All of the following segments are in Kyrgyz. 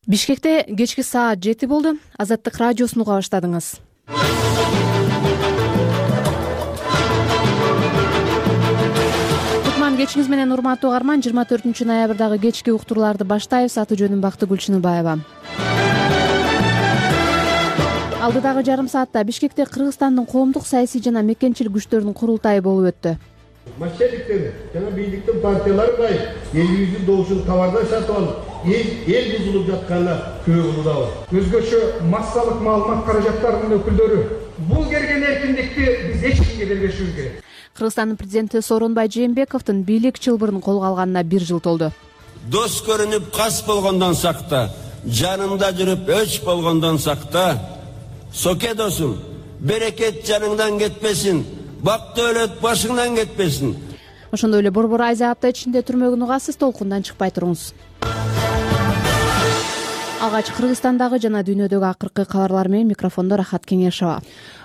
Бишкекте кечки саат 7 болду. Азаттык радиосун уга баштадыңыз. Кутман кечиңиз менен урматтуу угарман. 24 ноябрдагы кечки уктурууларды баштайбыз. Аты жөнүм Бактыгүл Гүлчүнүбаева. Алдыдагы жарым саатта Бишкекте Кыргызстандын коомдук саясий жана мекенчил күчтөрүнүн курултайы болуп өттү. Мошенниктер жана бийликтин партиялары кайып элибиздин добушун товардан сатып алып, эл бузулуп жатканына күбө кылуудабыз. Өзгөчө массалык маалымат каражаттарынын өкүлдөрү бул келген эркиндикти биз эч кимге бербешибиз керек. Кыргызстандын президенти Сооронбай Жээнбековдун бийлик чылбырын колго алганына 1 жыл толду. Дос көрүнүп кас болгондон сакта, жанында жүрүп өч болгондон сакта, соке досум, берекет жаныңдан кетпесин, бак дөөлөт башыңдан кетпесин. Ошондой эле борбор айза апта ичинде түрмөгүн угасыз, толкундан чыкпай туруңуз. Алгач Кыргызстандагы жана дүйнөдөгү акыркы кабарлар менен микрофондо Рахат Кеңешова.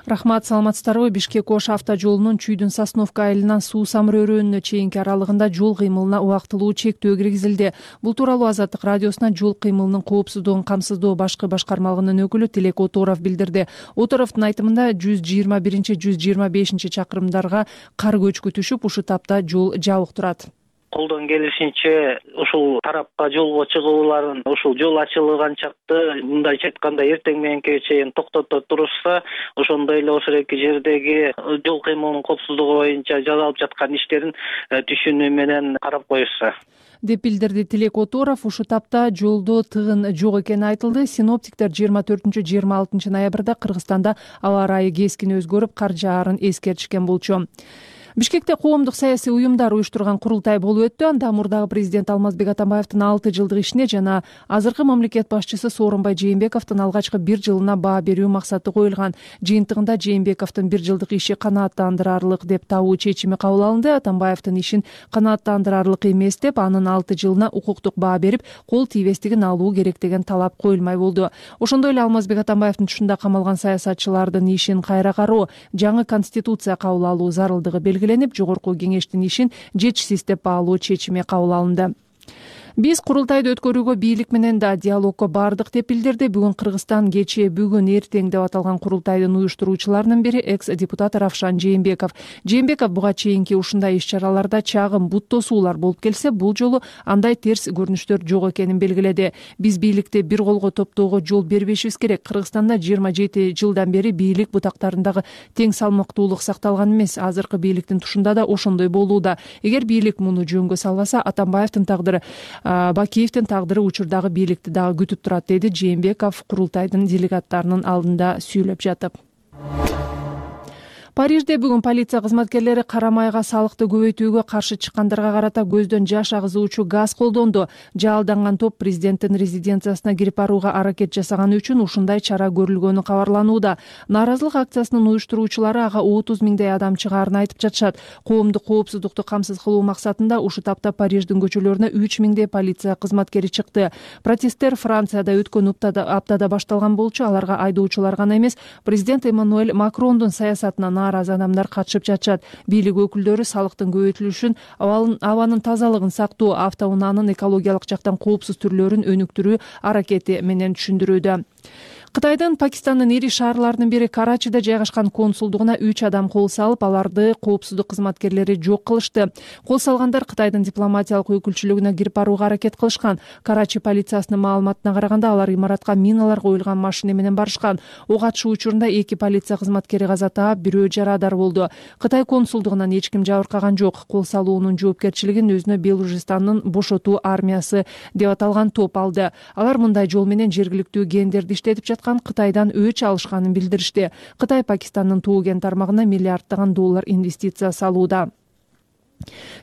Рахмат, саламатсыздарбы? Бишкек-Ош авто жолунун Чүйдүн Сосновка айылынан Суу Самыр өрөөнүнө чейинки аралыгында жол кыймылына убактылуу чектөө киргизилди. Бул тууралуу Азаттык радиосуна жол кыймылынын коопсуздугун камсыздоо башкы башкармалыгынын өкүлү Тилек Оторов билдирди. Оторовдун айтымында 121-125 чакырымдарга кар көчкү түшүп, ушул тапта жол жабык турат. Колдон келишинче ушул тарапка жолго чыгууларын ушул жол ачылган чакты мындайча айтканда эртең мененке чейин токтото турушса, ошондой эле ошол эки жердеги жол кыймылынын коопсуздугу боюнча жасалып жаткан иштерин түшүнүү менен карап коюшса деп билдирди Тилек Оторов. Ушул тапта жолдо тыгын жок экени айтылды. Синоптиктер 24-26 ноябрда Кыргызстанда аба ырайы кескин өзгөрүп, кар жаарын эскертишкен болчу. Бишкекте коомдук саясий уюмдар уюштурган курултай болуп өттү. Анда мурдагы президент Алмазбек Атамбаевдин 6 жылдык ишине жана азыркы мамлекет башчысы Сооронбай Жээнбековдун алгачкы 1 жылына баа берүү максаты коюлган. Жыйынтыгында Жээнбековдун 1 жылдык иши канааттандырарлык деп табуу чечими кабыл алынды. Атамбаевдин ишин канааттандырарлык эмес деп, анын 6 жылына укуктук баа берип, кол тийбестигин алуу керек деген талап коюлмай болду. Ошондой эле Алмазбек Атамбаевдин тушунда камалган саясатчылардын ишин кайра кароо, жаңы конституция кабыл алуу зарылдыгы белгиленип, жогорку кеңештин ишин жетишсиз деп баалоо чечими кабыл алынды. Биз курултайды өткөрүүгө бийлик менен да диалогко бардык деп билдирди. Бүгүн Кыргызстан кечээ бүгүн эртең деп аталган курултайдын уюштуруучуларынын бири экс-депутат Равшан Жээнбеков. Жээнбеков буга чейинки ушундай иш-чараларда чагым бут тосуулар болуп келсе, бул жолу андай терс көрүнүштөр жок экенин белгиледи. Биз бийликти бир колго топтоого жол бербешибиз керек. Кыргызстанда 27 жылдан бери бийлик бутактарындагы тең салмактуулук сакталган эмес. Азыркы бийликтин тушунда да ошондой болууда. Эгер бийлик муну жөнгө салбаса, Атамбаевдин тагдыры, Бакиевдин тагдыры учурдагы бийликти дагы күтүп турат, деди Жээнбеков курултайдын делегаттарынын алдында сүйлөп жатып. Парижде бүгүн полиция кызматкерлери кара майга салыкты көбөйтүүгө каршы чыккандарга карата көздөн жаш агызуучу газ колдонду. Жалданган топ президенттин резиденциясына кирип барууга аракет жасаганы үчүн ушундай чара көрүлгөнү кабарланууда. Нааразылык акциясынын уюштуруучулары ага 30 миңдей адам чыгаарын айтып жатышат. Коомдук коопсуздукту камсыз кылуу максатында ушул тапта Париждин көчөлөрүнө 3 миңдей полиция кызматкери чыкты. Протесттер Францияда өткөн аптада башталган болчу. Аларга айдоочулар гана эмес, президент Эммануэль Макрондун саясатына нааразы адамдар катышып жатышат. Бийлик өкүлдөрү салыктын көбөйтүлүшүн, абанын тазалыгын сактоо, автоунаанын экологиялык жактан коопсуз түрлөрүн өнүктүрүү аракети менен түшүндүрүүдө. Кытайдын Пакистандын ири шаарларынын бири Карачида жайгашкан консулдугуна 3 адам кол салып, аларды коопсуздук кызматкерлери жок кылышты. Кол салгандар Кытайдын дипломатиялык өкүлчүлүгүнө кирип барууга аракет кылышкан. Карачи полициясынын маалыматына караганда, алар имаратка миналар коюлган машина менен барышкан. Ок атышуу учурунда 2 полиция кызматкери каза таап, бирөө жарадар болду. Кытай консулдугунан эч ким жабыркаган жок. Кол салуунун жоопкерчилигин өзүнө Белужистандын бошотуу армиясы деп аталган топ алды. Алар мындай жол менен жергиликтүү гендерди иштетип Кытайдан өч алышканын билдиришти. Кытай Пакистандын Тоо кен тармагына миллиарддаган доллар инвестиция салууда.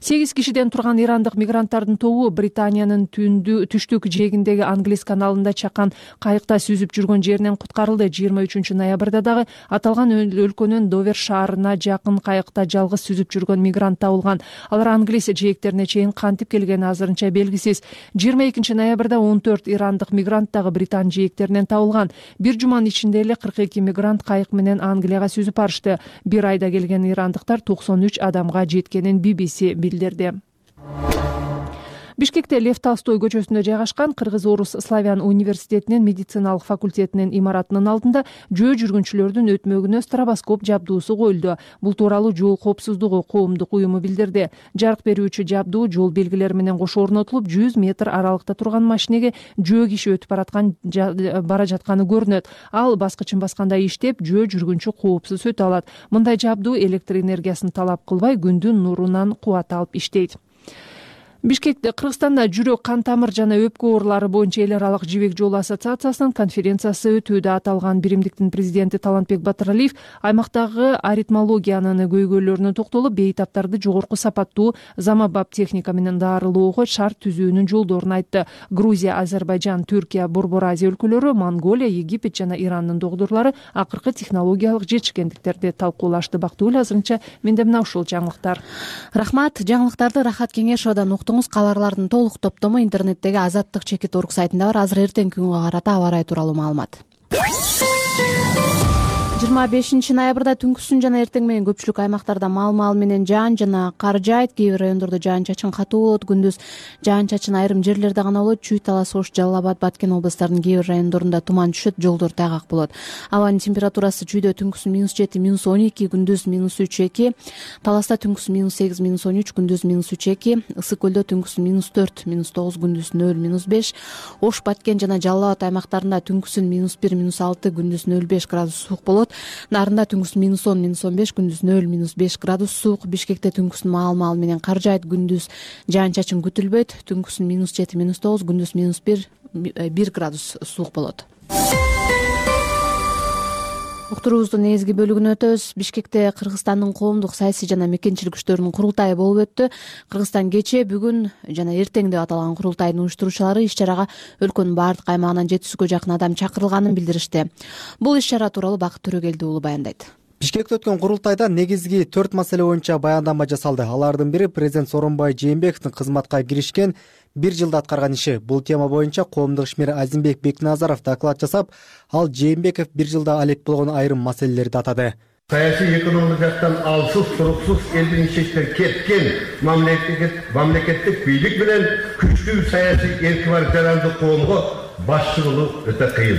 8 кишиден турган ирандык мигранттардын тобу Британиянын түштүк жээгиндеги Англис каналында чакан кайыкта сүзүп жүргөн жеринен куткарылды. 23 ноябрда дагы аталган өлкөнүн Довер шаарына жакын кайыкта жалгыз сүзүп жүргөн мигрант табылган. Алар Англис жээктерине чейин кантип келгени азырынча белгисиз. 22 ноябрда 14 ирандык мигрант дагы Британ жээктеринен табылган. Бир жуманын ичинде эле 42 мигрант кайык менен Англияга сүзүп барышты. Бир айда келген ирандыктар 93 адамга жеткенин BBC билдирди. Бишкекте Лев Толстой көчөсүндө жайгашкан Кыргыз-Орус Славян университетинин медициналык факультетинин имаратынын алдында жөө жүргүнчүлөрдүн өтмөгүнө стробоскоп жабдуусу коюлду. Бул тууралуу жол коопсуздугу коомдук уюму билдирди. Жарык берүүчү жабдуу жол белгилери менен кошо орнотулуп, 100 метр аралыкта турган машинеге жөө киши өтүп бара жатканы көрүнөт. Ал баскычын баскандай иштеп, жөө жүргүнчү коопсуз өтө алат. Мындай жабдуу электр энергиясын талап кылбай, күндүн нурунан кубат алып иштейт. Бишкекте Кыргызстанда жүрөк, кан тамыр жана өпкө оорулары боюнча эл аралык жибек жолу ассоциациясынын конференциясы өтүүдө. Аталган биримдиктин президенти Талантбек Батыралиев аймактагы аритмологиянын көйгөйлөрүнө токтолуп, бейтаптарды жогорку сапаттуу заманбап техника менен дарылоого шарт түзүүнүн жолдорун айтты. Грузия, Азербайжан, Түркия, Борбор Азия өлкөлөрү, Монголия, Египет жана Ирандын доктурлары акыркы технологиялык жетишкендиктерди талкуулашты. Бактыгүл, азырынча менде мына ушул жаңылыктар. Рахмат. Жаңылыктарды Рахат Кеңешовдон кабарлардын толук топтому интернеттеги Азаттык чекит.орг сайтында бар. Азыр эртеңки күнгө карата аба ырайы тууралуу маалымат. 25 ноябрда түнкүсүн жана эртең менен көпчүлүк аймактарда мал менен жаан жана кар жаайт. Кээ бир райондордо жаан-чачын катуу болот. Күндүз жаан-чачын айрым жерлерде гана болот. Чүй, Талас, Ош, Жалал Абад, Баткен областарынын кээ бир райондорунда туман түшөт, жолдор тайгак болот. Абанын температурасы чүйдө түнкүсүн -7, -12, күндүз -3-2, Таласта түнкүсүн -8, -13, күндүз -3-2, Ысык көлдө түнкүсүн -4, -9, күндүз 0, -5, Ош, Баткен жана Жалал Абад аймактарында түнкүсүн -1, -6, күндүз 0,5 градус суук болот. Нарында түнкүсүн -10, -15, күндүз 0, -5 градус суук. Бишкекте түнкүсүн маал менен кар жаайт, күндүз жаан-чачын күтүлбөйт. Түнкүсүн -7, -9, күндүз -1 градус суук болот. Уктуруубуздун негизги бөлүгүнө өтөбүз. Бишкекте Кыргызстандын коомдук саясий жана мекенчилик күчтөрүнүн курултайы болуп өттү. Кыргызстан кечээ, бүгүн жана эртең деп аталган курултайдын уюштуруучулары иш-чарага өлкөнүн баардык аймагынан 700гө жакын адам чакырылганын билдиришти. Бул иш-чара тууралуу Бакыт Төрөгелди уулу баяндайт. Бишкекте өткөн курултайда негизги 4 маселе боюнча баяндама жасалды. Алардын бири президент Сооронбай Жээнбековдун кызматка киришкен 1 жылда аткарган иши. Бул тема боюнча коомдук ишмер Азимбек Бекназаров доклад жасап, ал Жээнбеков 1 жылда алек болгон айрым маселелерди атады. Саясий экономик жактан алсыз, туруксуз элдин ишечтен кеткен мамлекеттик бийлик менен күчтүү саясий эрки бар жарандык коомго башчы болуу өтө кыйын.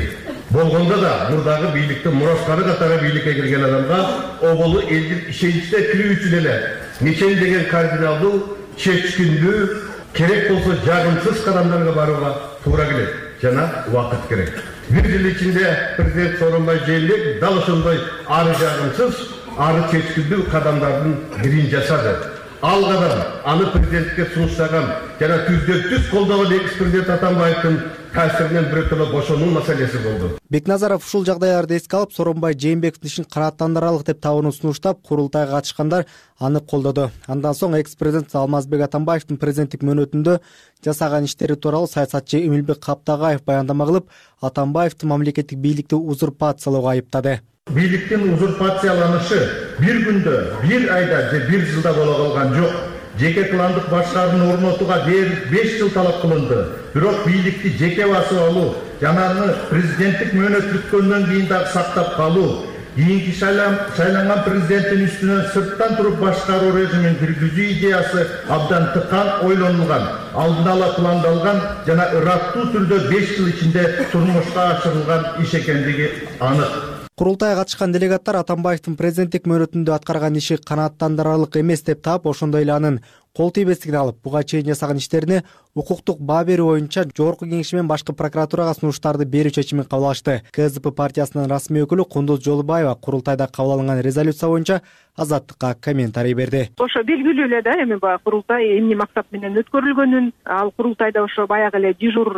Болгондо да мурдагы бийликтин мураскары катары бийликке кирген адамга оболу элдин ишеничине кирүү үчүн эле деген кардиналдуу, чечкиндүү, керек болсо жагымсыз кадамдарга барууга туура келет жана убакыт керек. 1 жыл ичинде президент Сооронбай Жээнбеков дал ошондой ары жагымсыз, ары чечкиндүү кадамдардын бирин жасады. Ал кадам аны президентке сунуштаган жана түздөн-түз колдогон экс-президент Атамбаевдин таасиринен бирөтөлө бошонуу маселеси болду. Бекназаров ушул жагдайларды эске алып, Сооронбай Жээнбековдун ишин канааттандыралык деп табууну сунуштап, курултайга катышкандар аны колдоду. Андан соң экс-президент Алмазбек Атамбаевдин президенттик мөөнөтүндө жасаган иштери тууралуу саясатчы Эмилбек Каптагаев баяндама кылып, Атамбаевди мамлекеттик бийликти узурпациялоого айыптады. Бийликтин узурпацияланышы 1 күндө, 1 айда же 1 жылда боло калган жок. Жеке кландык башкаруун орнотууга 5 жыл талап кылынды. Бирок бийликти жеке басып алуу жана аны президенттик мөөнөт бүткөндөн кийин дагы сактап калуу, кийинки шайланган президенттин үстүнөн сырттан туруп башкаруу режимин киргизүү идеясы абдан тыкан ойлонулган, алдын ала пландалган жана ыраттуу түрдө 5 жыл ичинде турмушка ашырылган иш экендиги анык. Курултайга катышкан делегаттар Атамбаевдин президенттик мөөнөтүндө аткарган иши канааттандырарлык эмес деп таап, ошондой эле анын кол тийбестигин алып, буга чейин жасаган иштерине укуктук баа берүү боюнча Жогорку Кеңеши менен башкы прокуратурага сунуштарды берүү чечимин кабыл алышты. КСДП партиясынын расмий өкүлү Кундуз Жолубаева курултайда кабыл алынган резолюция боюнча Азаттыкка комментарий берди. Ошо белгилүү эле да, эми баягы курултай эмне максат менен өткөрүлгөнүн, ал курултайда ошо баягы эле дежур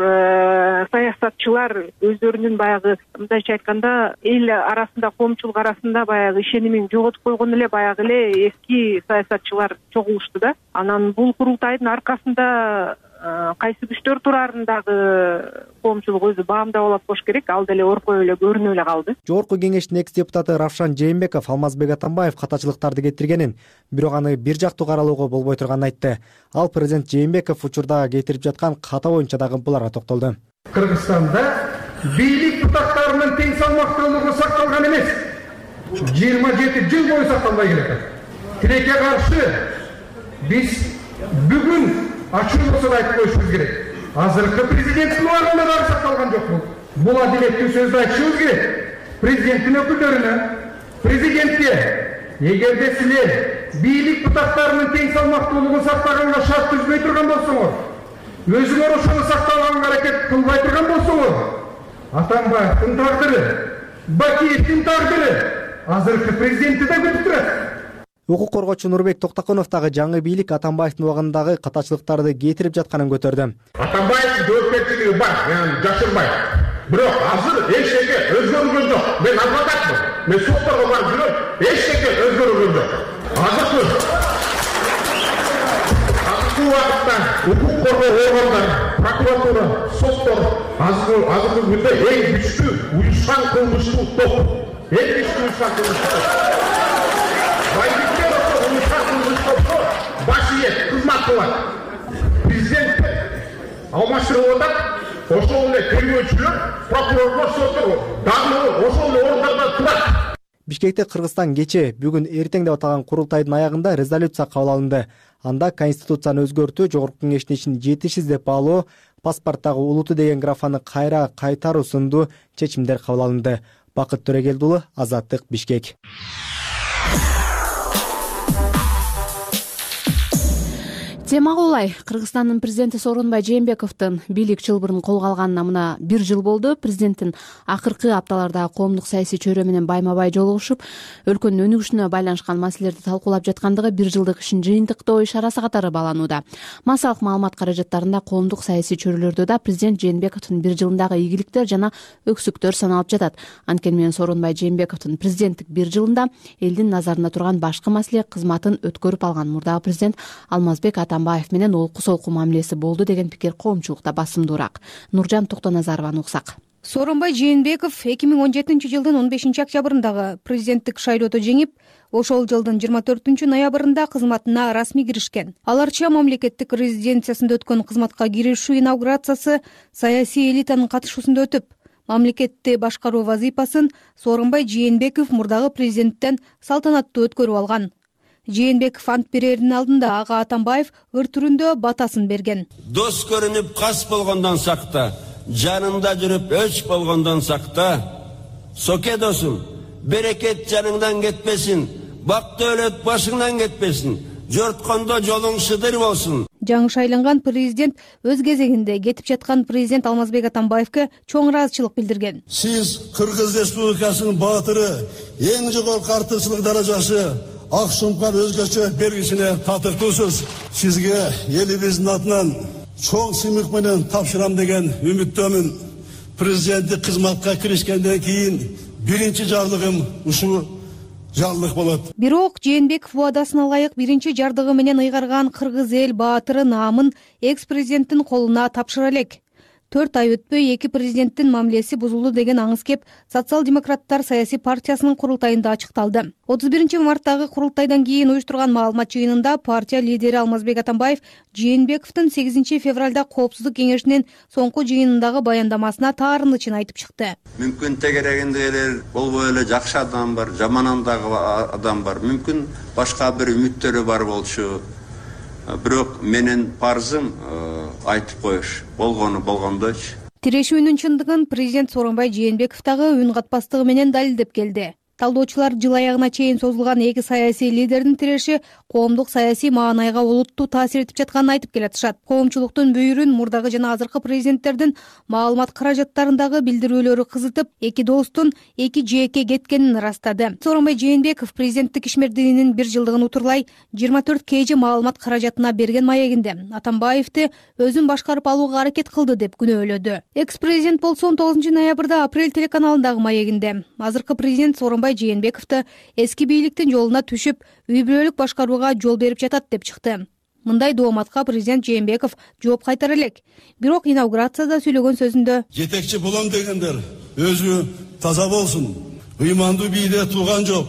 саясатчылар өздөрүнүн баягы мындайча айтканда эл арасында, коомчулук арасында баягы ишенимин жоготуп койгон эле баягы эле эски саясатчылар чогулушту да. Анан бул курултайдын аркасында кайсы күчтөр турарын дагы коомчулук өзү баамдап алат болуш керек. Ал деле оркой эле көрүнүп эле калды. Жогорку Кеңештин экс-депутаты Равшан Жээнбеков Алмазбек Атамбаев катачылыктарды кетиргенин, бирок аны бир жактуу каралууга болбой турганын айтты. Ал президент Жээнбеков учурда кетирип жаткан ката боюнча дагы буларга токтолду. Кыргызстанда бийлик бутактарынын тең салмактуулугу сакталган эмес. 27 жыл бою сакталбай келет. Тилекке каршы биз бүгүн ачуу болсо да айтып коюшубуз керек. Азыркы президенттин убагында дагы сакталган жок бул адилеттүү сөздү айтышыбыз керек. Президенттин өкүлдөрүнө, президентке эгерде силер бийлик бутактарынын тең салмактуулугун сактаганга шарт түзбөй турган болсоңор, өзүңөр ошону сактаганга аракет кылбай турган болсоңор, Атамбаевдин тагдыры, Бакиевдин тагдыры азыркы президентти да күтүп турат. Укук коргоочу Нурбек Токтоконов дагы жаңы бийлик Атамбаевдин убагындагы катачылыктарды кетирип жатканын көтөрдү. Атамбаевдин жоопкерчилиги бар, жашырбайм. Бирок азыр эчтеке өзгөрүлгөн жок. Мен адвокатмын. Мен сотторго барып жүрөм. Эчтеке өзгөрүлгөн жок. Азыркы убакытта укук коргоо органдары, прокуратура, соттор азыркы күндө эң күчтүү уюшкан кылмыштуу топ. Эң күчтүү уюшкан кылмыштуу топ. Баш ийет, кызмат кылат. Президент алмаштырып атат. Ошол эле тергөөчүлөр, прокурорлор, соттор дагы ошол эле орундарда турат. Бишкекте Кыргызстан кече бүгүн эртең деп аталган курултайдын аягында резолюция кабыл алынды. Анда конституцияны өзгөртүү, жогорку кеңештин ишин жетишсиз деп баалоо, паспорттагы улуту деген графаны кайра кайтаруу сындуу чечимдер кабыл алынды. Бакыт Төрөгелдиулу, Азаттык, Бишкек. Тема улай. Кыргызстандын президенти Сооронбай Жээнбековдун бийлик чылбырын колго алганына мына 1 жыл болду. Президенттин акыркы апталарда коомдук саясий чөйрө менен байма-бай жолугушуп, өлкөнүн өнүгүшүнө байланышкан маселелерди талкуулап жаткандыгы 1 жылдык ишин жыйынтыктоо иш-арасы катары бааланууда. Массалык маалымат каражаттарында коомдук саясий чөйрөлөрдө да президент Жээнбековдун 1 жылындагы ийгиликтер жана өксүктөр саналып жатат. Анткени менен Сооронбай Жээнбековдун президенттик 1 жылында элдин назарында турган башкы маселе кызматын өткөрүп алган мурдагы президент Алмазбек Атамбаев менен олку-солку мамилеси болду деген пикир коомчулукта басымдуураак. Нуржан Токтоназарованы уксак. Сооронбай Жээнбеков 2017-жылдын 15-октябрындагы президенттик шайлоодо жеңип, ошол жылдын 24 ноябрында кызматына расмий киришкен. Аларча мамлекеттик резиденциясында өткөн кызматка киришүү инаугурациясы саясий элитанын катышуусунда өтүп, мамлекетти башкаруу вазыйпасын Сооронбай Жээнбеков мурдагы президенттен салтанаттуу өткөрүп алган. Жээнбеков ант берердин алдында ага Атамбаев ыр түрүндө батасын берген. Дос көрүнүп кас болгондон сакта, жанында жүрүп өч болгондон сакта. Соке досум, берекет жаныңдан кетпесин, бак дөөлөт башыңдан кетпесин, жорткондо жолуң шыдыр болсун. Жаңы шайланган президент өз кезегинде кетип жаткан президент Алмазбек Атамбаевке чоң ыраазычылык билдирген. Сиз Кыргыз Республикасынын баатыры, эң жогорку артыкчылык даражасы ак сумкан өзгөчө белгисине татыктуусуз. Сизге элибиздин атынан чоң сыймык менен тапшырам деген үмүттөмүн. Президенттик кызматка киришкенден кийин биринчи жарлыгым ушул жарлык болот. Бирок Жээнбеков убадасына ылайык биринчи жардыгы менен ыйгарган кыргыз эл баатыры наамын экс-президенттин колуна тапшыра элек. 4 ай өтпөй эки президенттин мамилеси бузулду деген аңыз кеп Социал-демократтар саясий партиясынын курултайында ачыкталды. 31-марттагы курултайдан кийин уюштурган маалымат жыйынында партия лидери Алмазбек Атамбаев Жээнбековдун 8 февралда коопсуздук кеңешинин соңку жыйынындагы баяндамасына таарынычын айтып чыкты. Мүмкүн тегерегинде эле болбой эле жакшы адам бар, жаман адам бар. Мүмкүн башка бир үмүттөрү бар болчу. Бирок менин парзым айтып коюш, болгондойчу. Тирешүүнүн чындыгын президент Сооронбай Жээнбеков дагы үн катпастыгы менен далилдеп келди. Талдоочулар жыл аягына чейин созулган эки саясий лидердин тиреши коомдук саясий маанайга олуттуу таасир этип жатканын айтып келатышат. Коомчулуктун бүйүрүн мурдагы жана азыркы президенттердин маалымат каражаттарындагы билдирүүлөрү кызытып, эки достун эки жээкке кеткенин ырастады. Сооронбай Жээнбеков президенттик ишмердигинин 1 жылдыгын утурлай 24 kg маалымат каражатына берген маегинде Атамбаевди өзүн башкарып алууга аракет кылды деп күнөөлөдү. Экс-президент болсо 19 ноябрда Апрель телеканалындагы маегинде азыркы президент Сооронбай Жээнбековду эски бийликтин жолуна түшүп, үй-бүлөлүк башкарууга жол берип жатат деп чыкты. Мындай дооматка президент Жээнбеков жооп кайтара элек. Бирок инаугурацияда сүйлөгөн сөзүндө жетекчи болом дегендер өзү таза болсун. Ыймандуу бийде тууган жок,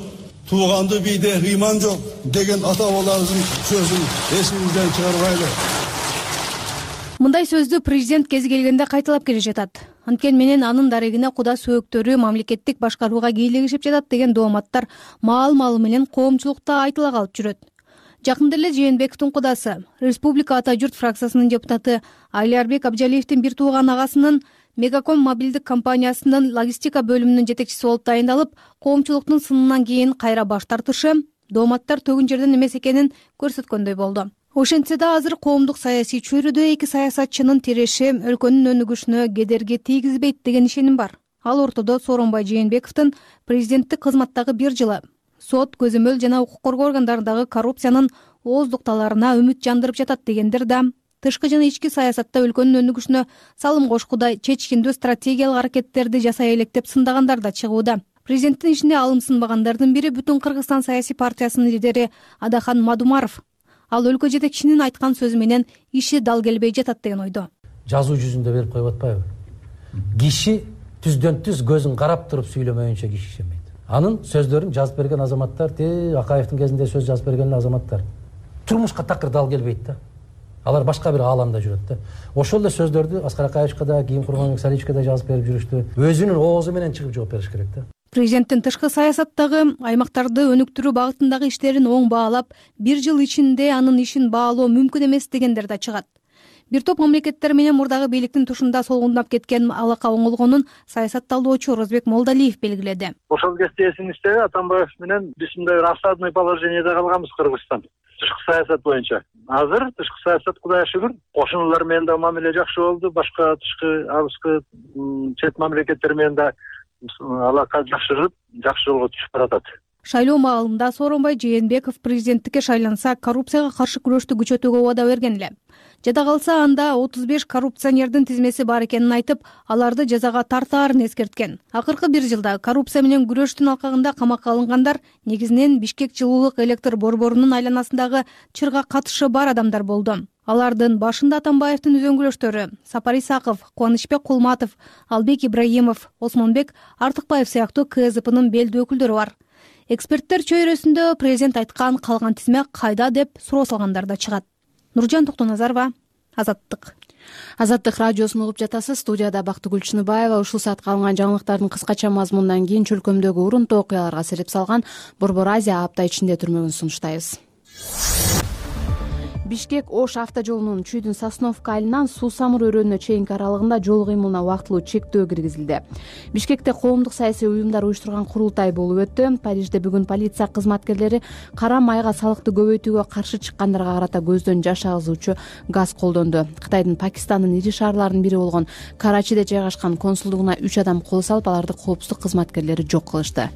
туугандуу бийде ыйман жок деген ата-бабаларыбыздын сөзүн эсибизден чыгарбайлы. Мындай сөздү президент кези келгенде кайталап келе жатат. Анткени менен анын дарегине куда сөөктөрү мамлекеттик башкарууга кийлигишип жатат деген дооматтар маал-малы менен коомчулукта айтыла калып жүрөт. Жакында эле Жээнбековдун кудасы, Республика Ата журт фракциясынын депутаты Алиарбек Абжалиевдин бир тууган агасынын Мегаком мобилдик компаниясынын логистика бөлүмүнүн жетекчиси болуп тайындалып, коомчулуктун сынынан кийин кайра баш тартышы дооматтар төгүн жерден эмес экенин көрсөткөндөй болду. Ошентсе да азыр коомдук саясий чөйрөдө эки саясатчынын тиреши өлкөнүн өнүгүшүнө кедерги тийгизбейт деген ишеним бар. Ал ортодо Сооронбай Жээнбековдун президенттик кызматтагы 1 жылы сот, көзөмөл жана укук коргоо органдарындагы коррупциянын ооздукталарына үмүт жандырып жатат дегендер да тышкы жана ички саясатта өлкөнүн өнүгүшүнө салым кошкудай чечкиндүү стратегиялык аракеттерди жасай элек деп сындагандар да чыгууда. Президенттин ишине алым сынбагандардын бири Бүтүн Кыргызстан саясий партиясынын лидери Адахан Мадумаров. Ал өлкө жетекчисинин айткан сөзү менен иши дал келбей жатат деген ойдо. Жазуу жүзүндө берип коюп атпайбы? Киши түздөн түз көзүн карап туруп сүйлөмөйүнчө киши ишенбейт. Анын сөздөрүн жазып берген азаматтар, Акаевдин кезинде сөз жазып берген азаматтар турмушка такыр дал келбейт да. Алар башка бир ааламда жүрөт да. Ошол эле сөздөрдү Аскар Акаевичке да, кийин Курманбек Саличевке да жазып берип жүрүштү. Өзүнүн оозу менен чыгып жооп бериш керек да. Президенттин тышкы саясаттагы аймактарды өнүктүрүү багытындагы иштерин оң баалап, 1 жыл ичинде анын ишин баалоо мүмкүн эмес дегендер да чыгат. Бир топ мамлекеттер менен мурдагы бийликтин тушунда солгундап кеткен алака оңолгонун саясатталоочу Розбек Молдалиев белгиледи. Ошол кезде эсиңизде Атамбаев менен биз мындай бир осадный положениеде калганбыз Кыргызстан тышкы саясат боюнча. Азыр тышкы саясат Кудайга шүгүр кошуналар менен да мамиле жакшы болду, башка тышкы алыскы чет мамлекеттер менен да алака жакшырып, жакшы жолго түшүп баратат. Шайлоо маалында Сооронбай Жээнбеков президенттикке шайланса, коррупцияга каршы күрөштү күчөтүүгө убада берген эле. Жада калса анда 35 коррупционердин тизмеси бар экенин айтып, аларды жазага тартаарын эскерткен. Акыркы 1 жылда коррупция менен күрөштүн алкагында камакка алынгандар негизинен Бишкек жылуулук электр борборунун айланасындагы чырга катышы бар адамдар болду. Алардын башында Атамбаевдин үзөңгүлөштөрү Сапар Исаков, Кубанычбек Кулматов, Албек Ибраимов, Осмонбек Артыкбаев сыяктуу КСДПнын белдүү өкүлдөрү бар. Эксперттер чөйрөсүндө президент айткан калган тизме кайда деп суроо салгандар да чыгат. Нуржан Токтоназарова, Азаттык. Азаттык радиосун угуп жатасыз. Студияда Бактыгүл Чыныбаева. Ушул саатка алынган жаңылыктардын кыскача мазмунунан кийин чөлкөмдөгү урунтуу окуяларга сереп салган Борбор Азия апта ичинде түрмөгүн сунуштайбыз. Бишкек-Ош автожолунун Чүйдүн Сосновка айылынан Суу-Самыр өрөөнүнө чейинки аралыгында жол кыймылына убактылуу чектөө киргизилди. Бишкекте коомдук саясий уюмдар уюштурган курултай болуп өттү. Парижде бүгүн полиция кызматкерлери кара майга салыкты көбөйтүүгө каршы чыккандарга карата көздөн жаш агызуучу газ колдонду. Кытайдын Пакистандын ири шаарларынын бири болгон Карачиде жайгашкан консулдугуна 3 адам кол салып, аларды коопсуздук кызматкерлери жок кылышты.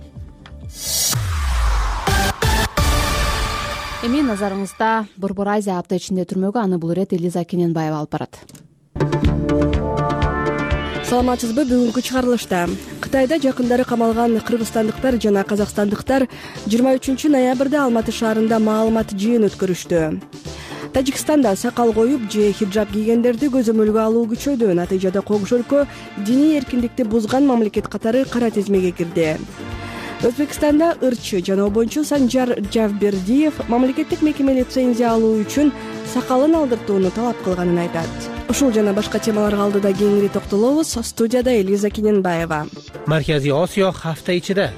Эми назарыңызда Борбор Азия апта ичинде түрмөгө, аны бул ирет Элиза Кененбаева алып барат. Саламатсызбы? Бүгүнкү чыгарылышта Кытайда жакындары камалган кыргызстандыктар жана казакстандыктар 23 ноябрда Алматы шаарында маалымат жыйын өткөрүштү. Тажикстанда сакал коюп же хиджаб кийгендерди көзөмөлгө алуу күчөйдү. Натыйжада Коңшу өлкө диний эркиндикти бузган мамлекет катары кара тизмеге кирди. Өзбекстанда ырчы жана обончу Санжар Жавбердиев мамлекеттик мекеме лицензия алуу үчүн сакалын алдыртууну талап кылганын айтат. Ушул жана башка темаларга алдыда кеңири токтолобуз. Студияда Элиза Кененбаева. Марказий Осиё хафта ичиде.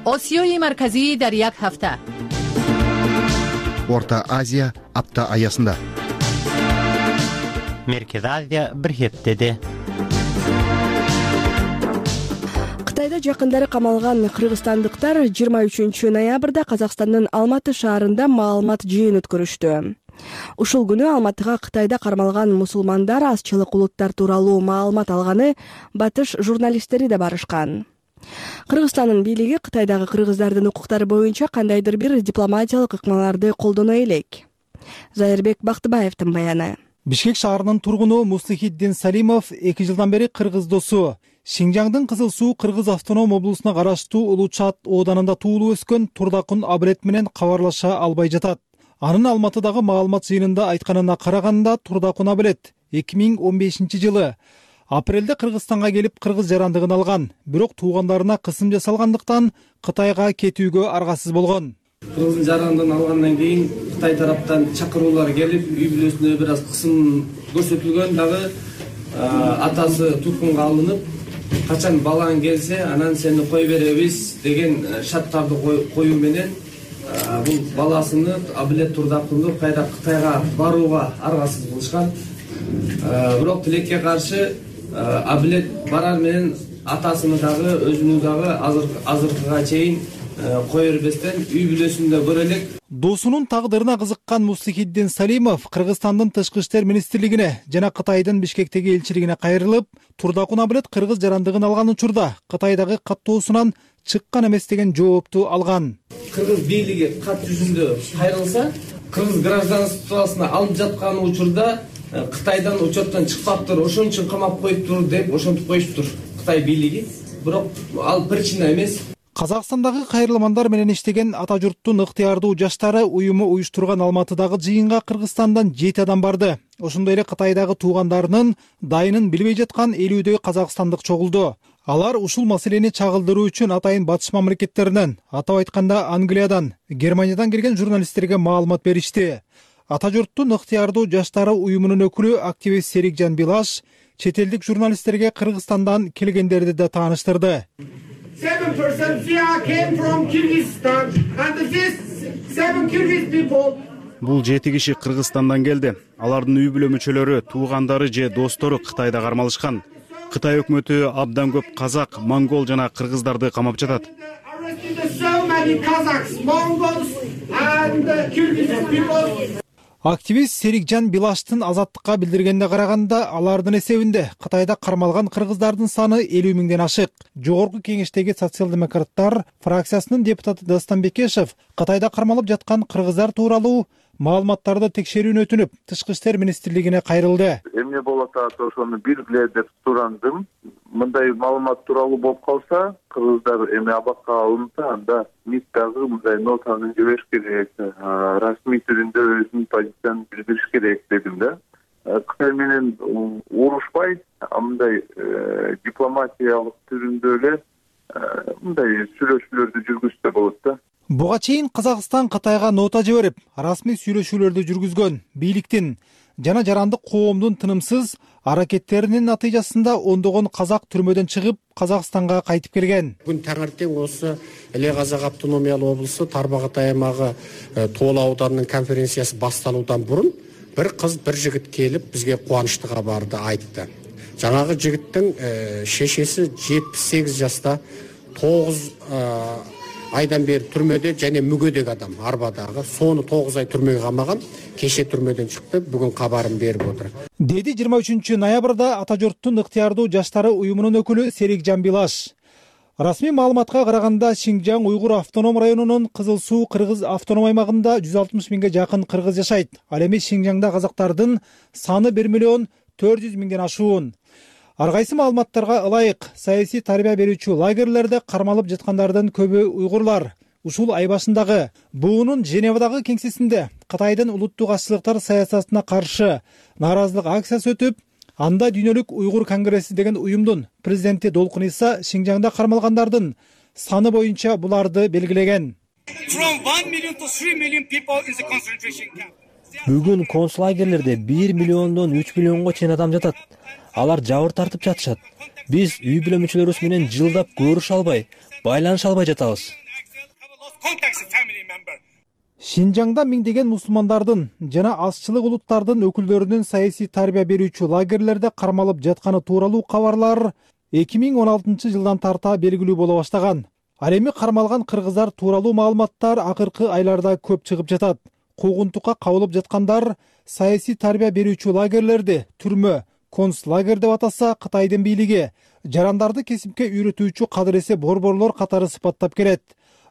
Осиёи марказии дар як хафта. Орта Азия апта аясында. Меркез Азия бир хептеде. Кытайда жакындары камалган кыргызстандыктар 23 ноябрда Казакстандын Алматы шаарында маалымат жыйын өткөрүштү. Ушул күнү Алматыга Кытайда кармалган мусулмандар азчылык улуттар тууралуу маалымат алганы батыш журналисттери да барышкан. Кыргызстандын бийлиги Кытайдагы кыргыздардын укуктары боюнча кандайдыр бир дипломатиялык ыкмаларды колдоно элек. Зайырбек Бактыбаевдин баяны. Бишкек шаарынын тургуну Мустахиддин Салимов 2 жылдан бери кыргыз досу. Шинжаңдын Кызыл Суу Кыргыз автоном облусуна караштуу Улучат ооданында туулуп өскөн Турдакун Абрет менен кабарлаша албай жатат. Анын Алматыдагы маалымат жыйынында айтканына караганда Турдакун Абрет 2015 жылы апрелде Кыргызстанга келип кыргыз жарандыгын алган, бирок туугандарына кысым жасалгандыктан Кытайга кетүүгө аргасыз болгон. Кыргыздын жарандыгын алгандан кийин Кытай тараптан чакыруулар келип, үй бүлөсүнө бир аз кысым көрсөтүлгөн, дагы атасы туткунга алынып, качан балаң келсе, анан сени кой беребиз деген шарттарды коюу менен бул баласыны Абилет Турдакунду кайра Кытайга барууга аргасыз кылышкан. Бирок тилекке каршы Абилет барар менен атасыны дагы өзүнү дагы азыркыга чейин кое бербестен үй бүлөсүндө көрө элек. Досунун тагдырына кызыккан Мустахиддин Салимов Кыргызстандын Тышкы иштер министрлигине жана Кытайдын Бишкектеги элчилигине кайрылып, Турдакун Абилет кыргыз жарандыгын алган учурда Кытайдагы каттоосунан чыккан эмес деген жоопту алган. Кыргыз бийлиги кат жүзүндө кайрылса, кыргыз гражданствосуна алып жаткан учурда Кытайдан учеттен чыкпаптыр, ошон үчүн камап коюптур деп ошентип коюштур Кытай бийлиги. Бирок ал причина эмес. Казакстандагы кайрылмандар менен иштеген ата журттун ыктыярдуу жаштары уюму уюштурган Алматыдагы жыйынга Кыргызстандан 7 адам барды. Ошондой эле Кытайдагы туугандарынын дайынын билбей жаткан 50дөй казакстандык чогулду. Алар ушул маселени чагылдыруу үчүн атайын батыш мамлекеттеринен, атап айтканда Англиядан, Германиядан келген журналисттерге маалымат беришти. Ата журттун ыктыярдуу жаштары уюмунун өкүлү активист Серикжан Билаш чет элдик журналисттерге Кыргызстандан келгендерди да тааныштырды. 7% via came from Kyrgyzstan and these 7 Kyrgyz people. Бул 7 киши Кыргызстандан келди. Алардын үй бүлө мүчөлөрү, туугандары же достору Кытайда кармалышкан. Кытай өкмөтү абдан көп казак, монгол жана кыргыздарды камап жатат. Активист Серикжан Билаштын Азаттыкка билдиргенде караганда, алардын эсебинде Кытайда кармалган кыргыздардын саны 50 миңден ашык. Жогорку кеңештеги социал-демократтар фракциясынын депутаты Дастан Бекешев Кытайда кармалып жаткан кыргыздар тууралуу маалыматтарды текшерүүнү өтүнүп, Тышкы иштер министрлигине кайрылды. Эмне болот ошону билгиле деп сурандым. Мындай маалымат тууралуу болуп калса, кыргыздар эми абакка алынса, анда МИД дагы мындай нотаны жибериш керек, расмий түрүндө өзүнүн позициясын билдириш керек дедим да. Кытай менен урушпай, мындай дипломатиялык түрүндө эле мындай сүйлөшүүлөрдү жүргүзсө болот да. Буга чейин Казакстан Кытайга нота жиберип, расмий сүйлөшүүлөрдү жүргүзгөн. Бийликтин жана жарандык коомдун тынымсыз аракеттеринин натыйжасында ондогон казак түрмөдөн чыгып, Казакстанга кайтып келген. Бүгүн таңертең осы Эле Казак автономиялык облусу Тарбагат аймагы Тоол ауданынын конференциясы башталуудан бурун бир кыз, бир жигит келип бизге кубанычты кабарды айтты. Жанагы жигиттин шешеси 78 жашта, 9 айдан бери түрмөдө және мүгөдөгү адам, арбадагы. Сону 9 ай түрмөгө камаган, кеше түрмөдөн чыкты, бүгүн кабарын берип отур. Деди 23 ноябрда Ата журттун ыктыярдуу жаштары уюмунун өкүлү Серикжан Билаш. Расмий маалыматка караганда, Шинжаң Уйгур автоном районунун Кызыл Суу кыргыз автоном аймагында 160 миңге жакын кыргыз жашайт. Ал эми Шинжаңда казактардын саны 1 миллион 400 миңден ашуун. Ар кайсы маалыматтарга ылайык, саясий тарбия берүүчү лагерлерде кармалып жаткандардын көбү уйгурлар. Ушул ай башындагы буунун Женевадагы кеңсесинде Кытайдын улуттук азчылыктар саясатына каршы нааразылык акциясы өтүп, анда Дүйнөлүк уйгур конгресси деген уюмдун президенти Долкун Иса Шинжаңда кармалгандардын саны боюнча буларды белгилеген. Бүгүн концлагерлерде 1 миллиондон 3 миллионго чейин адам жатат. Алар жабыр тартып жатышат. Биз үй бүлө мүчөлөрүбүз менен жылдап көрүшө албай, байланыша албай жатабыз. Шинжаңда миңдеген мусулмандардын жана азчылык улуттардын өкүлдөрүнүн саясий тарбия берүүчү лагерлерде кармалып жатканы тууралуу кабарлар 2016 жылдан тарта белгилүү боло баштаган. Ал эми кармалган кыргыздар тууралуу маалыматтар акыркы айларда көп чыгып жатат. Куугунтукка кабылып жаткандар саясий тарбия берүүчү лагерлерди түрмө, концлагер деп атаса Кытайдын бийлиги жарандарды кесипке үйрөтүүчү кадыресе борборлор катары сыпаттап келет.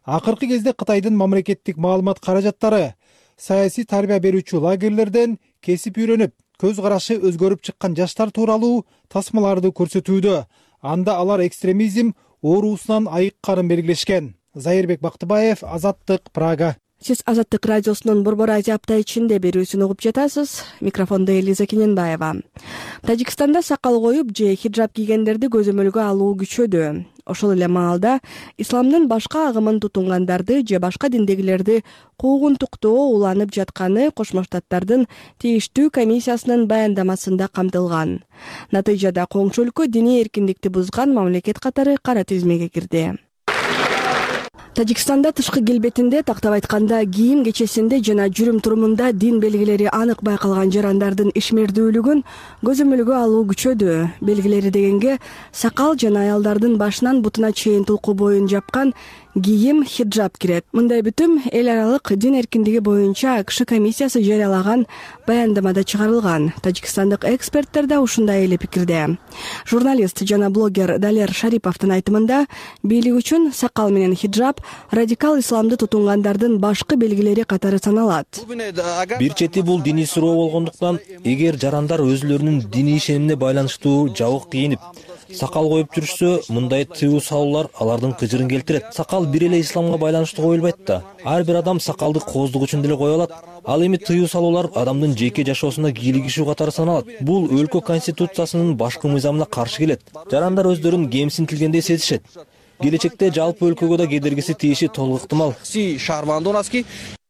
Акыркы кезде Кытайдын мамлекеттик маалымат каражаттары саясий тарбия берүүчү лагерлерден кесип үйрөнүп, көз карашы өзгөрүп чыккан жаштар тууралуу тасмаларды көрсөтүүдө. Анда алар экстремизм оорусунан айыкканын белгилешкен. Зайырбек Бактыбаев, Азаттык, Прага. Сиз Азаттык радиосунун Борбор Азия апта ичинде берүүсүн угуп жатасыз. Микрофондо Элиза Кененбаева. Тажикстанда сакал коюп же хиджаб кийгендерди көзөмөлгө алуу күчөдү. Ошол эле маалда исламдын башка агымын тутунгандарды же башка диндегилерди куугунтуктоо уланып жатканы Кошмо Штаттардын тийиштүү комиссиясынын баяндамасында камтылган. Натыйжада коңшу өлкө диний эркиндикти бузган мамлекет катары кара тизмеге кирди. Тажикстанда тышкы келбетинде, тактап айтканда кийим кечесинде жана жүрүм-турумунда дин белгилери анык байкалган жарандардын ишмердүүлүгүн көзөмөлгө алуу күчөдү. Белгилери дегенге сакал жана аялдардын башынан бутуна чейин тулку боюн жапкан кийим хиджаб кирет. Мындай бүтүм эл аралык дин эркиндиги боюнча АКШ комиссиясы жарыялаган баяндамада чыгарылган. Тажикстандык эксперттер да ушундай эле пикирде. Журналист жана блогер Далер Шариповдун айтымында, бийлик үчүн сакал менен хиджаб радикал исламды тутунгандардын башкы белгилери катары саналат. Бир чети бул диний суроо болгондуктан, эгер жарандар өзүлөрүнүн диний ишенимине байланыштуу жабык кийинип, сакал коюп жүрүшсө, мындай тыюу салуулар алардын кыжырын келтирет. Сакал бир эле исламга байланыштуу коюлбайт да. Ар бир адам сакалды кооздук үчүн деле кое алат. Ал эми тыюу салуулар адамдын жеке жашоосуна кийлигишүү катары саналат. Бул өлкө конституциясынын башкы мыйзамына каршы келет. Жарандар өздөрүн кемсинтилгендей сезишет. Келечекте жалпы өлкөгө да кедергиси тийиши толук ыктымал.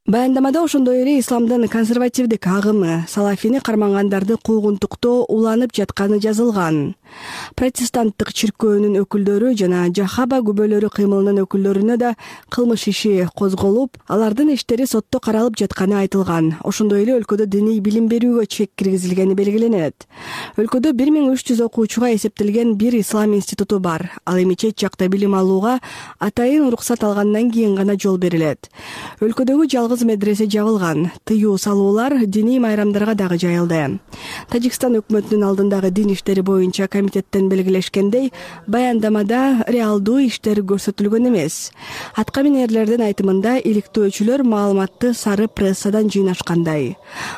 Баяндамада ошондой эле исламдын консервативдик агымы, салафини кармангандарды куугунтуктоо уланып жатканы жазылган. Протестанттык чиркөөнүн өкүлдөрү жана Жахаба күбөлөрү кыймылынын өкүлдөрүнө да кылмыш иши козголуп, алардын иштери сотто каралып жатканы айтылган. Ошондой эле өлкөдө диний билим берүүгө чек киргизилгени белгиленет. Өлкөдө 1300 окуучуга эсептелген бир ислам институту бар. Ал эми чет жакта билим алууга атайын уруксат алгандан кийин гана жол берилет. Өлкөдөгү жалгыз медресе жабылган. Тыюу салуулар диний майрамдарга дагы жайылды. Тажикстан өкмөтүнүн алдындагы дин иштери боюнча комитеттен белгилешкендей, баяндамада реалдуу иштер көрсөтүлгөн эмес. Аткаминерлердин айтымында, иликтөөчүлөр маалыматты сары прессадан жыйнашкандай.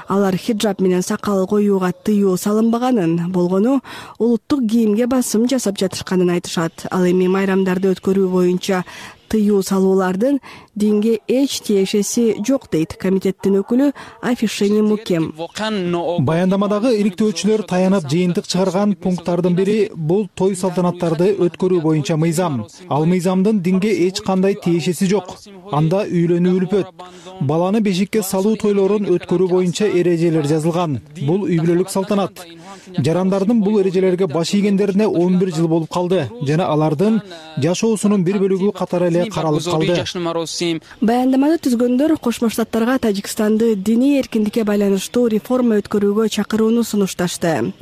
Алар хиджаб менен сакал коюуга тыюу салынбаганын, болгону улуттук кийимге басым жасап жатышканын айтышат. Ал эми майрамдарды өткөрүү боюнча тыюу салуулардын динге эч тиешеси жок дейт комитеттин өкүлү Афишени Мукем. Баяндамадагы иликтөөчүлөр таянып жыйынтык чыгарган пункттардын бири бул той салтанаттарды өткөрүү боюнча мыйзам. Ал мыйзамдын динге эч кандай тиешеси жок. Анда үйлөнүү үлпөт. Баланы бешикке салуу тойлорун өткөрүү боюнча эрежелер жазылган. Бул үй бүлөлүк салтанат. Жарандардын бул эрежелерге баш ийгендерине 11 жыл болуп калды жана алардын жашоосунун бир бөлүгү катары эле каралып калды. Баяндаманы түзгөндөр Кошмо Штаттарга Тажикстанды диний эркиндикке байланыштуу реформа өткөрүүгө чакырууну сунушташты.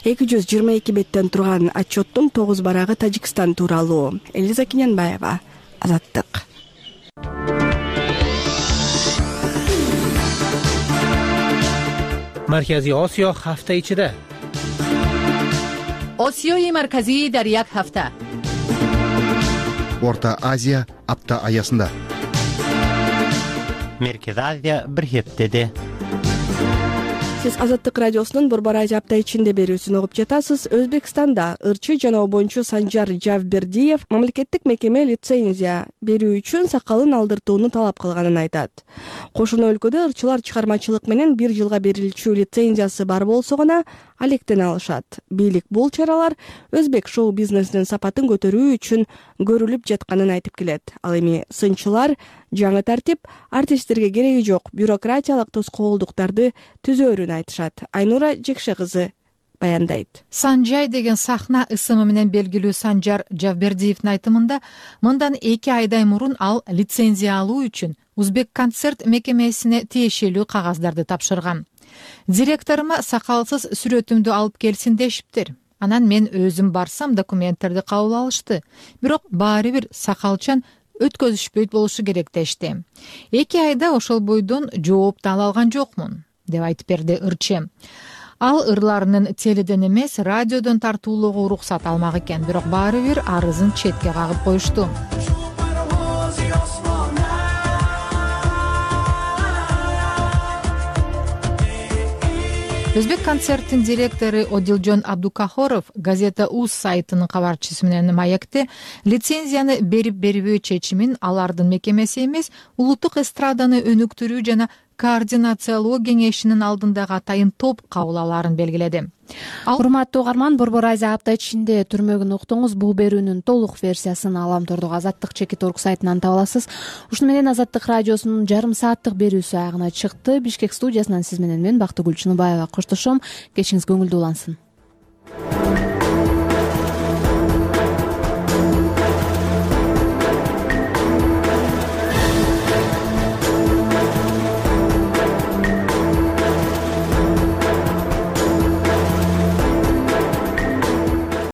222 беттен турган отчеттун 9 барагы Тажикстан тууралуу. Элиза Кинянбаева, Азаттык. Марказий Осиё ҳафта ичида. осиёи марказӣ дар як ҳафта. Орта Азия апта аясында. Меркез Азия бир хептеде. Сиз Азаттык радиосунун Борбор Азия апта ичинде берүүсүн угуп жатасыз. Өзбекстанда ырчы жана обончу Санжар Жавбердиев мамлекеттик мекеме лицензия берүү үчүн сакалын алдыртууну талап кылганын айтат. Кошуна өлкөдө ырчылар чыгармачылык менен 1 жылга берилчү лицензиясы бар болсо гана алектен алышат. Бийлик бул чаралар өзбек шоу бизнесинин сапатын көтөрүү үчүн көрүлүп жатканын айтып келет. Ал эми сынчылар жаңы тартип артисттерге кереги жок бюрократиялык тоскоолдуктарды түзөөрүн айтышат. Айнура Жекше кызы баяндайт. Санжай деген сахна ысымы менен белгилүү Санжар Жавбердиевдин айтымында, мындан 2 айдай мурун ал лицензия алуу үчүн Узбек концерт мекемесине тиешелүү кагаздарды тапшырган. Директорума сакалсыз сүрөтүмдү алып келсин дешиптир. Анан мен өзүм барсам документтерди кабыл алышты. Бирок баары бир сакалчан өткөзүшпөйт болушу керек дешти. 2 айда ошол бойдон жооп да ала алган жокмун, деп айтып берди ырчы. Ал ырларынын теледен эмес, радиодон тартуулоого уруксат алмак экен, бирок баары бир арызын четке кагып коюшту. Өзбек концерттин директору Одилжон Абдукахоров газета УЗ сайтынын кабарчысы менен маекте лицензияны берип-бербөө чечимин алардын мекемеси эмес, улуттук эстраданы өнүктүрүү жана координациялоо кеңешинин алдындагы атайын топ кабыл алаарын белгиледи. Урматтуу угарман, Борбор Азия апта ичинде түрмөгүн уктуңуз. Бул берүүнүн толук версиясын Аламтордогу Азаттык чекит.org сайтынан таба аласыз. Ушуну менен Азаттык радиосунун жарым сааттык берүүсү аягына чыкты. Бишкек студиясынан сиз менен мен Бактыгүл Чыныбаева коштошом. Кечиңиз көңүлдүү улансын.